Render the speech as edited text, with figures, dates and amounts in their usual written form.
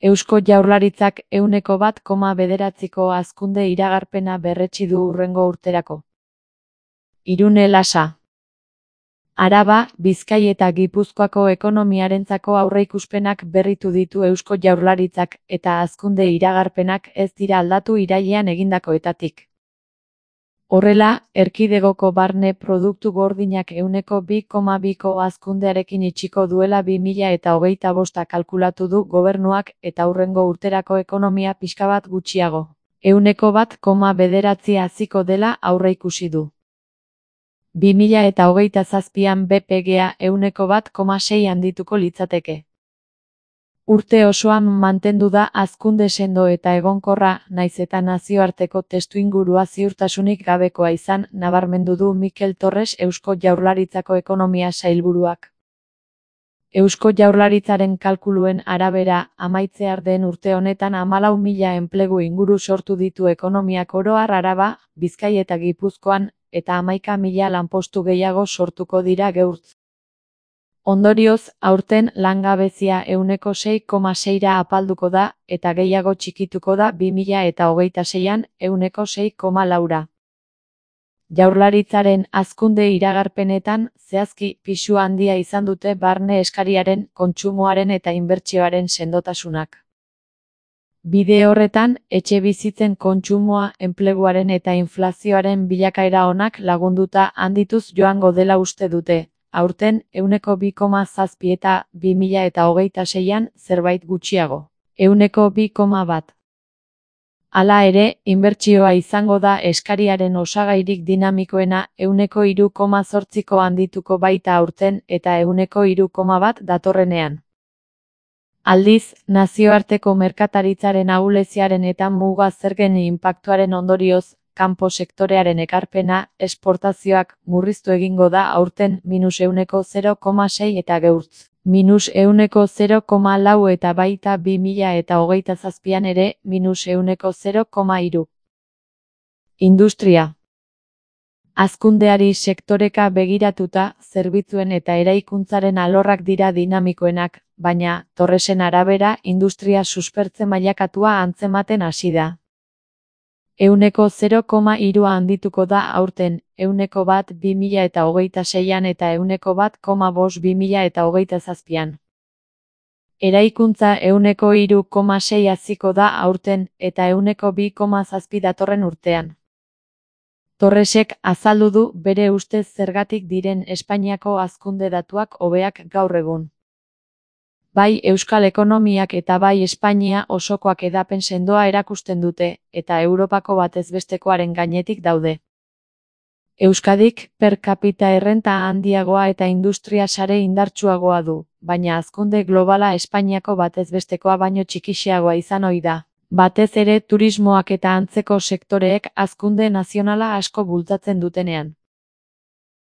Eusko Jaurlaritzak 1,9ko hazkunde iragarpena berretsi du hurrengo urterako. Irune Lasa. Araba, Bizkai eta Gipuzkoako ekonomiarentzako aurreikuspenak berritu ditu Eusko Jaurlaritzak eta hazkunde iragarpenak ez dira aldatu irailean egindakoetatik. Horrela, erkidegoko barne produktu gordinak 2,2ko hazkundearekin itxiko duela 2025 kalkulatu du gobernuak eta hurrengo urterako ekonomia pixka bat gutxiago. 1,9 haziko dela aurreikusi du. 2027an BPGa 1,6 handituko litzateke. Urte osoan mantendu da hazkunde sendo eta egonkorra, naiz eta nazioarteko testuingurua ziurtasunik gabekoa izan, nabarmendu du Mikel Torres Eusko Jaurlaritzako ekonomia sailburuak. Eusko Jaurlaritzaren kalkuluen arabera, amaitzear den urte honetan 14.000 enplegu inguru sortu ditu ekonomiak oro har Araba, Bizkai eta Gipuzkoan, eta 11.000 lanpostu gehiago sortuko dira geurtz. Ondorioz, aurten langabezia 6,6ra apalduko da, eta gehiago txikituko da 2026an 6,4ra. Jaurlaritzaren hazkunde iragarpenetan, zehazki, pisu handia izan dute barne eskariaren, kontsumoaren eta inbertsioaren sendotasunak. Bide horretan, etxebizitzen kontsumoa, enpleguaren eta inflazioaren bilakaera onak lagunduta handituz joango dela uste dute. Aurten, 2,7 eta 2026an zerbait gutxiago. 2,1. Hala ere, inbertsioa izango da eskariaren osagairik dinamikoena 3,8ko handituko baita aurten eta 3,1 datorrenean. Aldiz, nazioarteko merkataritzaren ahuleziaren eta muga zergen inpaktuaren ondorioz, kanpo sektorearen ekarpena, esportazioak, murriztu egingo da aurten -0,6 eta geurtz, -0,4 eta baita 2027an ere -0,3. Industria. Hazkundeari sektoreka begiratuta, zerbitzuen eta eraikuntzaren alorrak dira dinamikoenak, baina, Torresen arabera, industria suspertze mailakatua antzematen hasi da. 0,3 handituko da aurten, 1,1 2026an eta 1,5 2027an. Eraikuntza 3,6 haziko da aurten, eta 2,7 datorren urtean. Torresek azaldu du bere ustez zergatik diren Espainiako hazkunde datuak hobeak gaur egun. Bai Euskal ekonomiak eta bai Espainia osokoak hedapen sendoa erakusten dute, eta Europako batezbestekoaren gainetik daude. Euskadik per capita errenta handiagoa eta industria sare indartsuagoa du, baina hazkunde globala Espainiako batezbestekoa baino txikixeagoa izan ohi da. Batez ere turismoak eta antzeko sektoreek hazkunde nazionala asko bultzatzen dutenean.